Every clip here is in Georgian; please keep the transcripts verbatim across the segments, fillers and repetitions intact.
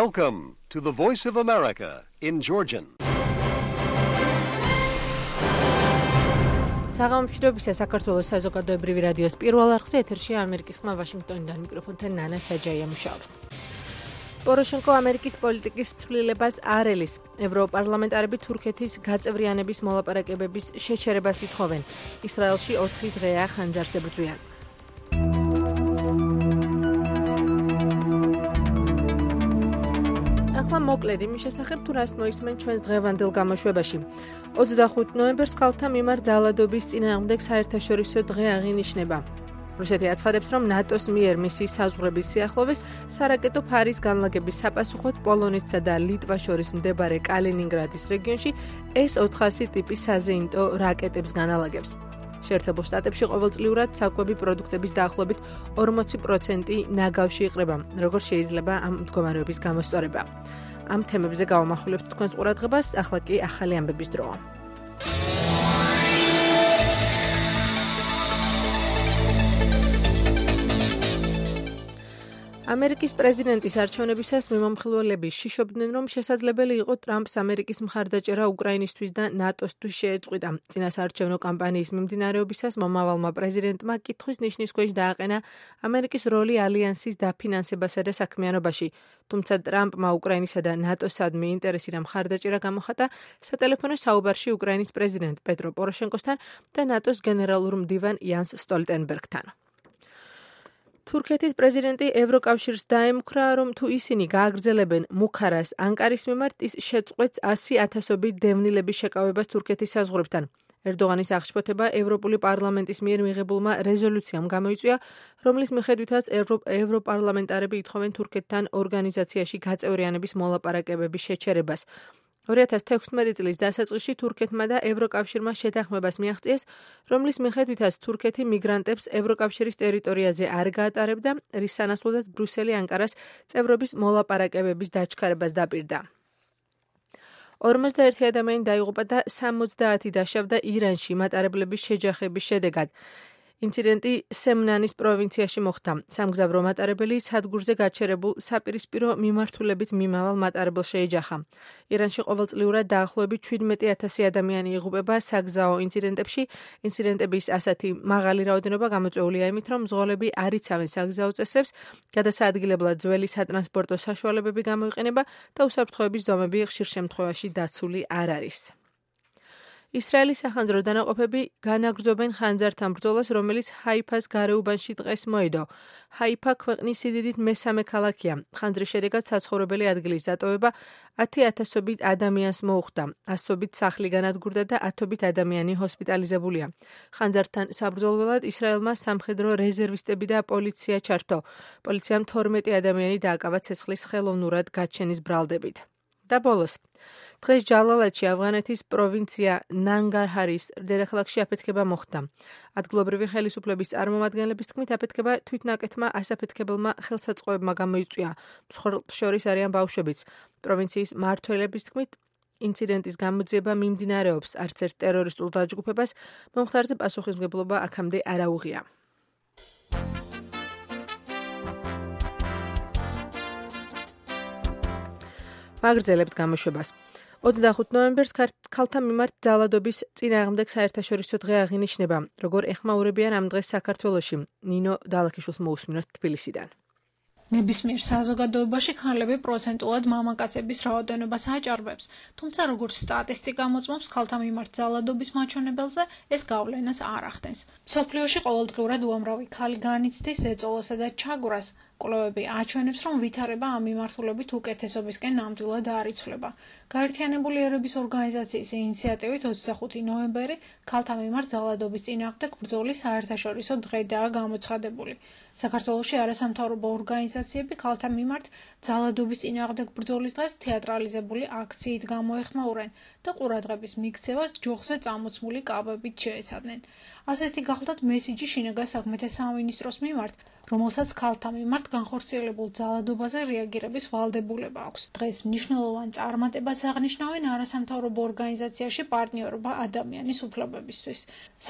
Welcome to the Voice of America in Georgian. საღამოშიდობისა საქართველოს საზოგადოებრივი რადიოს პირველ არხზე ეთერშია ამერიკის ხმა ვაშინგტონიდან მიკროფონთან ნანა საჯაია მუშაობს. პოროშენკო ამერიკის პოლიტიკის ცვლილებას არ ელის. ევროპარლამენტარები თურქეთის გაწევრიანების მოლაპარაკებების შეჩერებას ითხოვენ. ისრაელში ოთხი დღეა ხანძარს ებრძვიან. ახლა მოკლედ იმის შესახებ თუ რას მოისმენ ჩვენს დღევანდელ გამოშვებაში. ოცდახუთი ნოემბერს ქალთა მიმართ ძალადობის წინააღმდეგ საერთაშორისო დღე აღინიშნება. რუსეთი აცხადებს, რომ ნატოს მიერ მისი საზღვრების სიახლოვეს სარაკეტო ფარის განლაგების საპასუხოდ პოლონეთსა და ლიტვას შორის მდებარე კალინინგრადის რეგიონში ეს ოთხასი ტიპის საზეიმტო რაკეტებს განალაგებს. შეერთებულ შტატებში ყოველწლიურად საკვები პროდუქტების დაახლოებით ორმოცი პროცენტი ნაგავში იყრება, როგორც შეიძლება ამ მდგომარეობის გამოსწორება. ამ თემებზე გავამახვილებთ თქვენს ყურადღებას, ახლა კი ახალი ამბების დროა. ამერიკის პრეზიდენტის არჩევნებისას მიმომხილველები შიშობდნენ, რომ შესაძლებელი იყო ტრამპს ამერიკის მხარდაჭერა უკრაინისთვის და ნატოსთვის შეეწყვიტა. წინასაარჩევნო კამპანიის მიმდინარეობისას მომავალმა პრეზიდენტმა კითხვის ნიშნის ქვეშ დააყენა ამერიკის როლი ალიანსის დაფინანსებასა და საქმიანობაში. თუმცა ტრამპმა უკრაინისა და ნატოსადმი ინტერესი და მხარდაჭერა გამოხატა სატელეფონო საუბარში უკრაინის პრეზიდენტ პეტრო პოროშენკოსთან და ნატოს გენერალურ მდივან იანს სტოლტენბერგთან. თურქეთის პრეზიდენტი ევროკავშირს დაემუქრა, რომ თუ ისინი გააგრძელებენ მუქარას ანკარის მიმართ, ის შეწყვეტს ასი ათასობით დევნილების შეკავებას თურქეთის საზღვრებთან. ერდოღანის აღშფოთება ევროპული პარლამენტის მიერ მიღებულმა რეზოლუციამ გამოიწვია, რომლის მიხედვითაც ევროპარლამენტარები ითხოვენ თურქეთთან ორგანიზაციაში გაწევრიანების მოლაპარაკებების შეჩერებას. ორი ათას თექვსმეტი წლის დასაწყისში თურქეთმა და ევროკავშირმა შეთანხმებას მიაღწიეს, რომლის მიხედვითაც თურქეთი მიგრანტებს ევროკავშირის ტერიტორიაზე არ გაატარებდა, რის სანაცვლოდაც ბრუსელი ანკარას წევრობის მოლაპარაკებების დაჩქარებას დაპირდა. ორმოცდაერთი ადამიანი დაიღუპა და სამოცდაათი დაშავდა ირანში მატარებლების შეჯახების შედეგად. ინციდენტი სემნანის პროვინციაში მოხდა. სამგზავრო მატარებელი სადგურზე გაჩერებულ საპირისპირო მიმართულებით მიმავალ მატარებელს შეეჯახა. ირანში ყოველწლიურად დაახლოებით შვიდმეტი ათასი ადამიანი იღუპება საგზაო ინციდენტებში. ინციდენტების ასეთი მაღალი რაოდენობა გამოწვეულია იმით, რომ მძღოლები არ იცავენ საგზაო წესებს, გადასაადგილებლად ძველი სატრანსპორტო საშუალებები გამოიყენება და უსაფრთხოების ზომები ხშირ შემთხვევაში დაცული არ არის. ისრაელის სახანძრო დანაყოფები განაგრძობენ ხანძართან ბრძოლას, რომელიც ჰაიფას გარეუბანში დღეს მოედო. ჰაიფა ქვეყნის სიდიდით მესამე ქალაქია. ხანძრის შედეგად საცხოვრებელი ადგილის დატოვება ათი ათასობით ადამიანს მოუხდა. ასობით სახლი განადგურდა და ათობით ადამიანი ჰოსპიტალიზებულია. ხანძართან საბრძოლველად ისრაელმა სამხედრო რეზერვისტები და პოლიცია ჩართო. პოლიციამ თორმეტი ადამიანი დააკავა ცეცხლის ხელოვნურად გაჩენის ბრალდებით. და ბოლოს, დღეს ჯალალადში ავღანეთის პროვინცია ნანგარჰარის დედაქალაქში აფეთქება მოხდა. ადგილობრივი ხელისუფლების წარმომადგენლების თქმით, აფეთქება თვითნაკეთმა ასაფეთქებელმა ხელსაწყოებმა გამოიწვია. მსხვერპლებს შორის არიან ბავშვებიც. პროვინციის მმართველების თქმით, ინციდენტის გამოძიება მიმდინარეობს, არც ერთ ტერორისტულ დაჯგუფებას მომხდარზე პასუხისმგებლობა აქამდე არ აუღია. ვაგრძელებთ გამოშვებას. ოცდახუთი ნოემბერს ქალთა მიმართ ძალადობის წინააღმდეგ საერთაშორისო დღე აღინიშნება, როგორ ეხმაურებიან ამ დღეს საქართველოში. ნინო დალაქიშვილს მოусმინოთ თბილისიდან. ნებისმიერ საზოგადოებაში ქალები პროცენტულად მამაკაცების რაოდენობას აჭარბებს, თუმცა როგორც სტატისტიკა მოწმობს, ქალთა მიმართ ძალადობის მაჩვენებელზე ეს გავლენას არ ახდენს. მსოფლიოში ყოველდღიურად უამრავი ქალი განიცდის ეწოლასა და ჩაგვრას. კვლევები აჩვენებს, რომ ვითარება ამ მიმართულებით უკეთესობისკენ ნამდვილად არ იცვლება. გაერთიანებული ერების ორგანიზაციის ინიციატივით ოცდახუთი ნოემბერი ქალთა მიმართ ძალადობის წინააღმდეგ ბრძოლის საერთაშორისო დღედაა გამოცხადებული. საქართველოში არასამთავრობო ორგანიზაციები ქალთა მიმართ ძალადობის წინააღმდეგ ბრძოლის დღეს თეატრალიზებული აქციით გამოეხმაურენ და ყურადღების მიქცევას ჯოხზე წამოწმული კაბებით შეეცადნენ. ასეთი გახლდათ მესიჯი შინაგან საქმეთა სამინისტროს მიმართ, რომელსაც ქალთა მიმართ განხორციელებულ ძალადობაზე რეაგირების ვალდებულება აქვს. დღეს მნიშვნელოვან წარმატებას აღნიშნავენ არასამთავრობო ორგანიზაციაში პარტნიორობა ადამიანის უფლებებისთვის.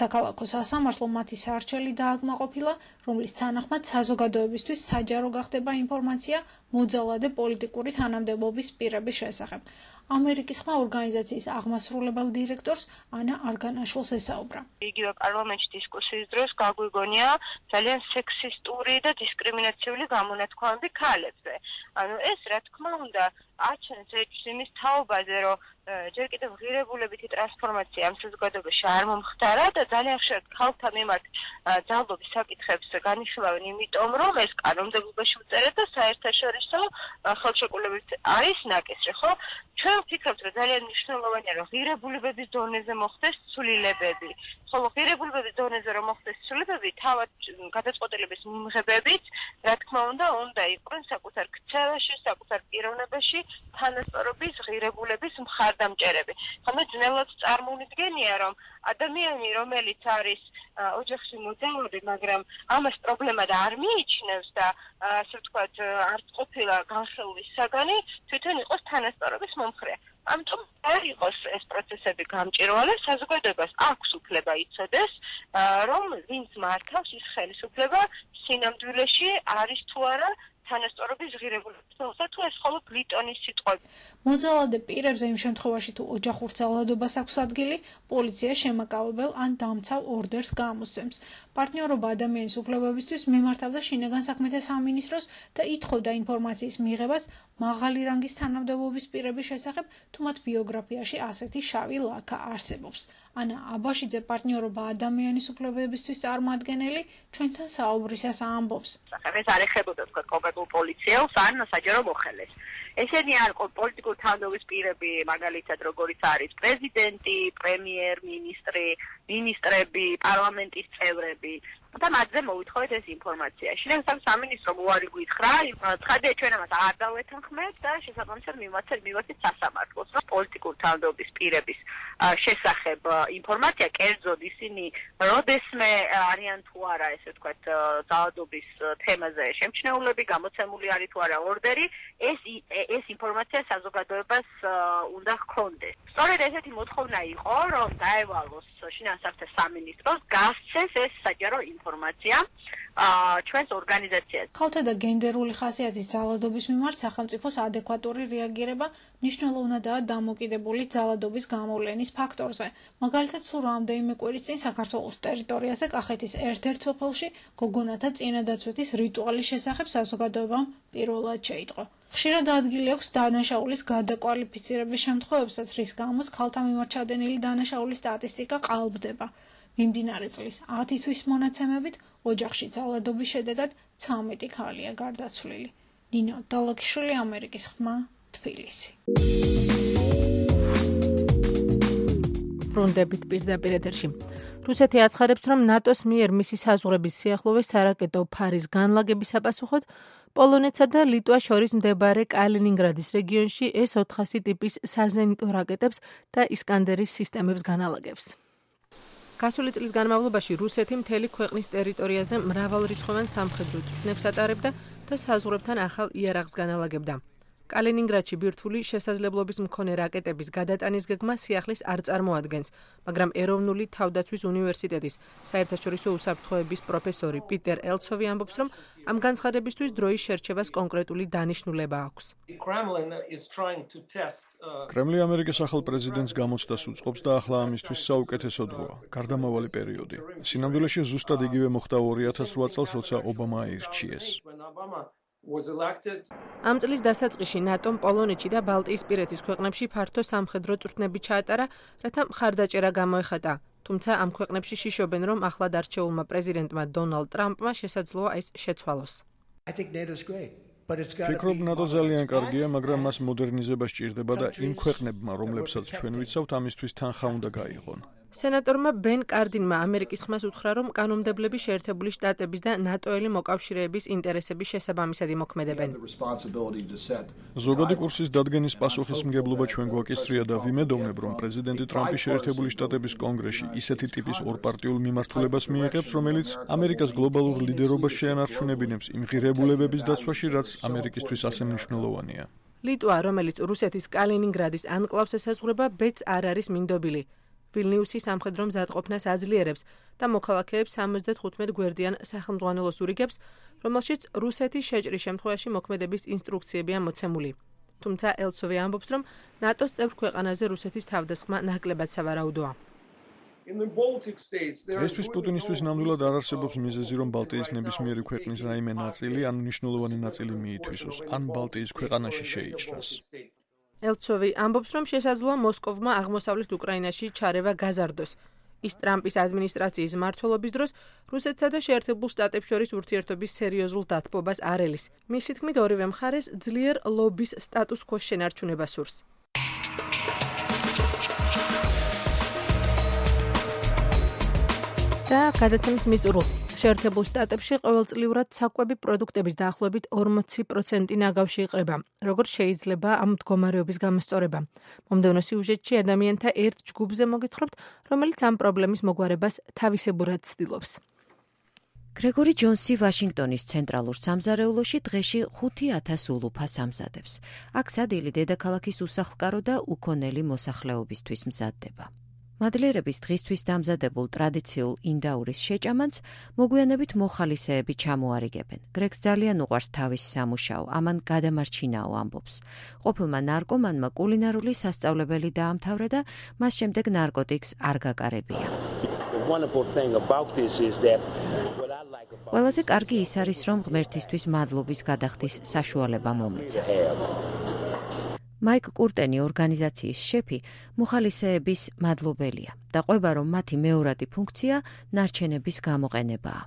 საქალაქო სასამართლო მათი სარჩელი დააკმაყოფილა, რომლის თანახმად საზოგადოებისთვის საჯარო გახდება ინფორმაცია მოძალადე პოლიტიკური თანამდებობის პირების შესახებ. ამერიკის ხმა ორგანიზაციის აღმასრულებელ დირექტორს ანა არგანაშვილს ესაუბრა. იგივე პარლამენტში დისკუსიის დროს გაგვიგონია ძალიან სექსისტური და დისკრიმინაციული გამონათქვამები ქალებზე. ანუ ეს რა თქმა უნდა აჩენს ეჭვს იმის თაობაზე, რომ ჯერ კიდევ ღირებულებითი ტრანსფორმაცია ამ საზოგადოებაში არ მომხდარა და ძალიან ხშირად ქალთა მიმართ ძალადობის საკითხებს განიხილავენ, იმიტომ რომ ეს კანონმდებლობაში უწერეთ და საერთაშორისო ხელშეკრულებით არის ნაკისრი, ხო? ჩვენ ვფიქრობთ, რომ ძალიან მნიშვნელოვანია, რომ ღირებულებების დონეზე მოხდეს ცვლილებები. ხოლო ღირებულებების დონეზე რომ მოხდეს ცვლილებები, თავად გადაწყვეტილების მიმღებებით, რა თქმა უნდა, უნდა იყვნენ საკუთარ ქცევაში, საკუთარ პიროვნებაში თანასწორობის ღირებულების მხარდამჭერები. ხომ ძნელად წარმოვიდგენია, რომ ადამიანი, რომელიც არის ოჯახში მოძალადე, მაგრამ ამას პრობლემად არ მიიჩნევს და ასე ვთქვათ, არც ყოფილა განხილვის საგანი, თვითონ იყოს თანასწორობის მომხრე. ამიტომ არ იყოს ეს პროცესები გამჭირვალე, საზოგადოებას აქვს უფლება იცოდეს, რომ ვინც მართავს ის ხელისუფლება სინამდვილეში არის თუ არა თანასწორობის ღირებულება, თუ ეს მხოლოდ ლიტონის სიტყვები. მოძალადე პირებზე იმ შემთხვევაში თუ ოჯახურ ძალადობას აქვს ადგილი, პოლიცია შემაკავებელ ან დამცავ ორდერს გამოსცემს. პარტნიორობა ადამიანის უფლებებისთვის მიმართავდა შინაგან საქმეთა სამინისტროს და ითხოვდა ინფორმაციის მიღებას მაღალი რანგის თანამდებობის პირების შესახებ, თუ მათ ბიოგრაფიაში ასეთი შავი ლაქა არსებობს. ანა აბაშიძე, პარტნიორობა ადამიანის უფლებებისთვის წარმოადგენელი, ჩვენთან საუბრისას ამბობს. ეს არ ეხებოდა თქვათ კონკრეტულ პოლიციელს ან საჯარო მოხელეს. ესენი არ პოლიტიკური თანამდებობის პირები, მაგალითად, როგორიც არის პრეზიდენტი, პრემიერ-მინისტრი, მინისტრები, პარლამენტის წევრები და მათზე მოვითხოვეთ ეს ინფორმაცია. შინაგან სამინისტრო უარი გითხრა, ცხადია ჩვენ ამას არ დავეთანხმეთ და შესაბამისად მივაცეთ მივაცეთ სასამართლოს, რომ პოლიტიკური თანამდებობის პირების შესახებ ინფორმაცია კერძოდ ისინი როდესმე არიან თუ არა, ესე ვთქვათ, ძალადობის თემაზე შემჩნეულები, გამოცემული არის თუ არა ორდერი, ეს ეს ინფორმაცია საზოგადოებას უნდა ჰქონდეს. სწორედ ესეთი მოთხოვნა იყო, რომ დაევალოს შინაგან საქმეთა სამინისტროს გასცეს ეს საჯარო ინფორმაცია ჩვენს ორგანიზაციას. ქალთა და გენდერული ხასიათის ძალადობის მიმართ სახელმწიფოს ადეკვატური რეაგირება მნიშვნელოვნადაა დამოკიდებული ძალადობის გამოვლენის ფაქტორზე. მაგალითად, სულ რამდენიმე კვირის წინ საქართველოს ტერიტორიაზე კახეთის ერთ-ერთ სოფელში გოგონათა წინადაცვეთის რიტუალის შესახებ საზოგადოებამ პირველად შეიტყო. ხშირად ადგილი აქვს დანაშაულის გადაკვალიფიცირების შემთხვევებსაც, რის გამოც ქალთა მიმართ ჩადენილი დანაშაულის სტატისტიკა ყალბდება. მიმდინარე წლის ათი თვის მონაცემებით ოჯახში ძალადობის შედეგად ცამეტი ქალია გარდაცვლილი. ნინო დალოქიშვილი, ამერიკის ხმა, თბილისი. ბრუნდებით პირდაპირ ეთერში. რუსეთი აცხადებს, რომ ნატოს მიერ მისი საზღვრების სიახლოვეს სარაკეტო ფარის განლაგების საპასუხოდ პოლონეთსა და ლიტვას შორის მდებარე კალინინგრადის რეგიონში ეს ოთხასი ტიპის საზენიტო რაკეტებს და ისკანდერის სისტემებს განალაგებს. გასული წლის განმავლობაში რუსეთი მთელი ქვეყნის ტერიტორიაზე მრავალრიცხოვან სამხედრო წვრთნებს ატარებდა და საზღვრებთან ახალ იარაღს განალაგებდა. კალინინგრადში ბირთვული შესაძლებლობის მქონე რაკეტების გადატანის გეგმა სიახლის არ წარმოადგენს, მაგრამ ეროვნული თავდაცვის უნივერსიტეტის საერთაშორისო უსაფრთხოების პროფესორი პიტერ ელცოვი ამბობს, რომ ამ განცხადებისთვის დროის შერჩევას კონკრეტული დანიშნულება აქვს. კრემლი ამერიკის ახალ პრეზიდენტს გამოცდას უწყობს და ახლა ამისთვის საუკეთესო დროა, გარდამავალი პერიოდი. სინამდვილეში ზუსტად იგივე მოხდა ორი ათას რვა წელს, როცა ობამა აირჩიეს. ამ წლის დასაწყისში ნატომ პოლონეთში და ბალტიისპირეთის ქვეყნებში ფართო სამხედრო წვრთნები ჩაატარა, რათა მხარდაჭერა გამოეხატა. თუმცა ამ ქვეყნებში შიშობენ, რომ ახლად არჩეულმა პრეზიდენტმა დონალდ ტრამპმა შესაძლოა ეს შეცვალოს. ფიქრობ, ნატო ძალიან კარგია, მაგრამ მას მოდერნიზება სჭირდება და იმ ქვეყნებმა, რომლებსაც ჩვენ ვიცავთ, ამისთვის თანხა უნდა გაიღონ. სენატორმა ბენ კარდინმა ამერიკის ხმას უთხრა, რომ კანონმდებლები შეერთებული შტატების და ნატოელი მოკავშირეების ინტერესების შესაბამისად იმოქმედებენ. ზოგადი კურსის დადგენის პასუხისმგებლობა ჩვენ გვაკისრია და ვიმედოვნებ, რომ პრეზიდენტი ტრამპი შეერთებული შტატების კონგრესში ისეთი ტიპის ორპარტიულ მიმართულებას მიიღებს, რომელიც ამერიკას გლობალურ ლიდერობას შეანარჩუნებინებს იმ ღირებულებების დაცვაში, რაც ამერიკისთვის ასე მნიშვნელოვანია. ლიტვა, რომელიც რუსეთის კალინინგრადის ანკლავს ესაზღვრება, ბედს არ არის მინდობილი. ვილნიუსის სამხედრო მზადყოფნას აძლიერებს და მოქალაქეებს სამოცდათხუთმეტ გვერდიან სახელმძღვანელოს ურიგებს, რომელშიც რუსეთის შეჭრის შემთხვევაში მოქმედების ინსტრუქციებია მოცემული. თუმცა ელცოვი ამბობს, რომ ნატოს წევრ ქვეყანაზე რუსეთის თავდასხმა ნაკლებად სავარაუდოა. ესთვის პუტინისთვის ნამდვილად არ არსებობს მიზეზი, რომ ბალტიის ნებისმიერი ქვეყნის რაიმე ნაწილი ან მნიშვნელოვანი ნაწილი მიითვისოს, ან ბალტიის ქვეყანაში შეიჭრას. ელცოვი ამბობს, რომ შესაძლოა მოსკოვმა აღმოსავლეთ უკრაინაში ჩარევა გაზარდოს. ის ტრამპის ადმინისტრაციის მმართველობის დროს რუსეთსა და შეერთებულ შტატებს შორის ურთიერთობის სერიოზულ დათბობას არ ელის. მისი თქმით, ორივე მხარეს ძლიერ ლობის სტატუს ქოს შენარჩუნება სურს. და გადაცემის მიწურულს შეერთებულ შტატებში ყოველწლიურად საკვები პროდუქტების დაახლოებით ორმოცი პროცენტი ნაგავში იყრება. როგორ შეიძლება ამ მდგომარეობის გამოსწორება? მომდევნო სიუჟეტში ადამიანთა ერთ ჯგუფზე მოგითხრობთ, რომელიც ამ პრობლემის მოგვარებას თავისებურად ცდილობს. გრეგორი ჯონსი ვაშინგტონის ცენტრალურ სამზარეულოში დღეში ხუთი ათას ულუფას ამზადებს. აქ სადილი დედაქალაქის უსახლკარო და უკონელი მოსახლეობისთვის მზადდება. მადლიერების დღისთვის დამზადებულ ტრადიციულ ინდაურის შეჭამანს მოგვიანებით მოხალისეები ჩამოარიგებენ. გრეგს ძალიან უყვარს თავის სამუშაო, ამან გადამარჩინაო ამბობს. ყოფილმა ნარკომანმა კულინარული სასწავლებელი დაამთავრა და მას შემდეგ ნარკოტიკს არ გაკარებია. ყველაზე კარგი ის არის, რომ ღმერთისთვის მადლობის გადახდის საშუალება მომეცა. მაიკ კურტენი ორგანიზაციის შეფი მოხალისეების მადლობელია და ყვება, რომ მათი მეორადი ფუნქცია ნარჩენების გამოყენებაა.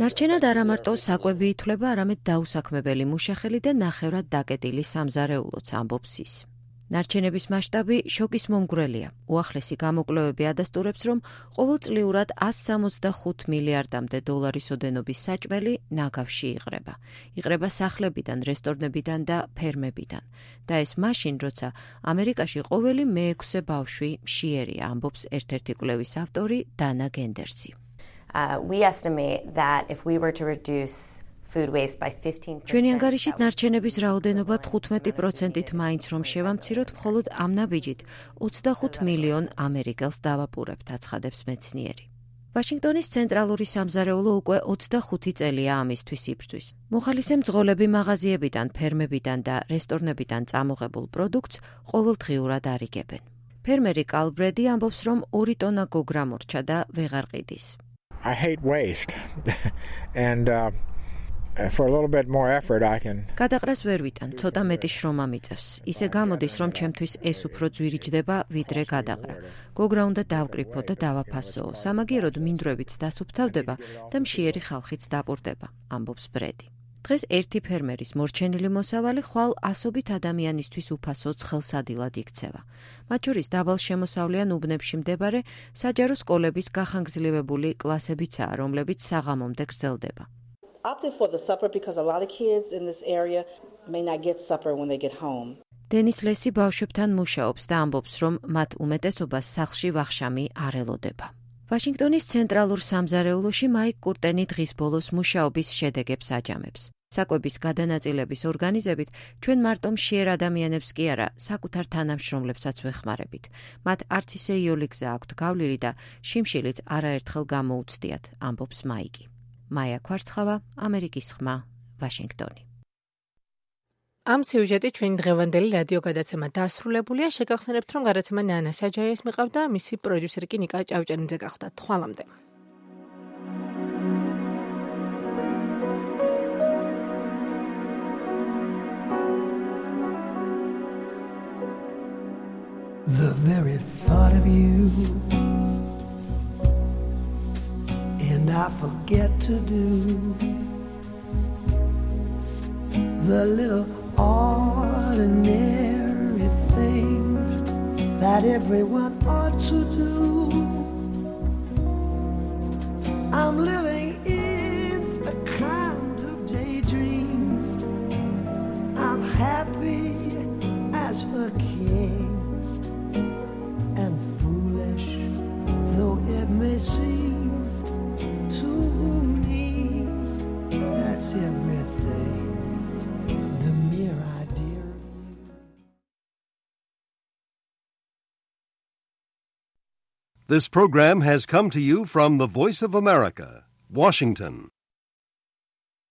ნარჩენად არა მარტო საკვები ითვლება, არამედ დაუსაქმებელი მუშახელი და ნახევრად დაკეტილი სამზარეულოც ამბობს ის. ნარჩენების მასშტაბი შოკის მომგვრელია. უახლესი გამოკვლევები ადასტურებს, რომ ყოველწლიურად ასს სამოცდახუთ მილიარდამდე დოლარის ოდენობის საჭმელი ნაგავში იყრება. იყრება სახლებიდან, რესტორნებიდან და ფერმებიდან. და ეს მაშინ, როცა ამერიკაში ყოველი მეექვსე ბავშვი მშიერია, ამბობს ერთ-ერთი კვლევის ავტორი დანა გენდერსი. Uh, we estimate that if we were to reduce ჩვენი ანგარიშით ნარჩენების რაოდენობა თხუთმეტი პროცენტით მაინც რომ შევამციროთ, მხოლოდ ამ ნაბიჯით ოცდახუთ მილიონ ამერიკელს დავაპურებთ, აცხადებს მეცნიერი. ვაშინგტონის ცენტრალური სამზარეულო უკვე ოცდახუთი წელია ამისთვის იბრძვის. მოხალისე მძღოლები მაღაზიებიდან, ფერმებიდან და რესტორნებიდან წამოღებულ პროდუქტს ყოველდღიურად არიგებენ. ფერმერი კალბრედი ამბობს, რომ ორი ტონა გოგრა მორჩა და ვეღარ ყიდის. I hate waste. and uh... For a little bit more effort I can. გადაყრას ვერ ვიტან, ცოტა მეტი შრომა მიწევს. ისე გამოდის, რომ ჩემთვის ეს უფრო ძვირიჯდება, ვიდრე გადაყრა. გოგრა უნდა დავკრიფო და დავაფასოო. სამაგიეროდ მინდვრებიც დასუფთავდება და მშიერი ხალხიც დაპურდება, ამბობს ბრედი. დღეს ერთი ფერმერის მორჩენილი მოსავალი ხვალ ასობით ადამიანისთვის უფასო ცხელსადილად იქცევა. მათ შორის დაბალ შემოსავლიან უბნებში მდებარე საჯარო სკოლების გახანგრძლივებული კლასებიცაა, რომლებიც საღამომდე გრძელდება. Opted for the supper because a lot of kids in this area may not get supper when they get home. დენის ლესი ბავშვებთან მუშაობს და ამბობს, რომ მათ უმეტესობას სახლში ვახშამი არ ელოდება. ვაშინგტონის ცენტრალურ სამზარეულოში მაიკ კურტენი დღის ბოლოს მუშაობის შედეგებს აჯამებს. საკვების გადანაწილების ორგანიზებით ჩვენ მარტო მშიერ ადამიანებს კი არა, საკუთარ თანამშრომლებსაც ვეხმარებით. მათ არც ისე იოლი გზა აქვთ გავლილი და შიმშილიც არაერთხელ გამოუცდიათ, ამბობს მაიკი. მაია ქვარცხავა, ამერიკის ხმა, ვაშინგტონი. ამ სიუჟეტით ჩვენი დღევანდელი რადიო გადაცემა დასრულებულია. შეგახსენებთ, რომ გადაცემა ნანა საჯაიას მიყავდა, მისი პროდიუსერი კი ნიკა ჭავჭელინძე გახდა. თვალამდე. The very thought of you and I forget to do the little ordinary things that everyone ought to do. I'm living in a kind of daydream. I'm happy as a king, and foolish though it may seem to me, that's everything. This program has come to you from the Voice of America, Washington.